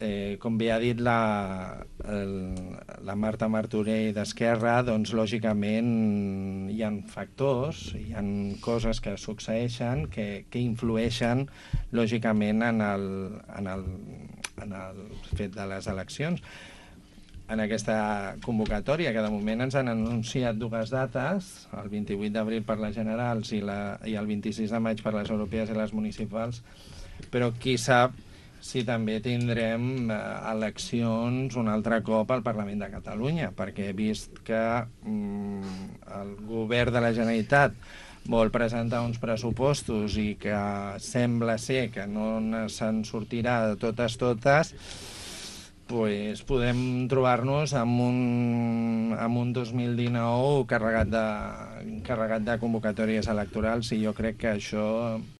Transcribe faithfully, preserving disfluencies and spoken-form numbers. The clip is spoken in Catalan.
eh, com bé ha dit la, el, la Marta Martorell d'Esquerra, doncs lògicament hi han factors, hi han coses que succeeixen que, que influeixen lògicament en el, en, el, en el fet de les eleccions. En aquesta convocatòria, que de moment ens han anunciat dues dates, el vint-i-vuit d'abril per les generals i, la, i el vint-i-sis de maig per les europees i les municipals, però qui sap si també tindrem eh, eleccions un altre cop al Parlament de Catalunya, perquè he vist que mm, el govern de la Generalitat vol presentar uns pressupostos i que sembla ser que no se'n sortirà de totes totes, pues podem trobar-nos amb un, amb un dos mil dinou carregat de, carregat de convocatòries electorals, i jo crec que això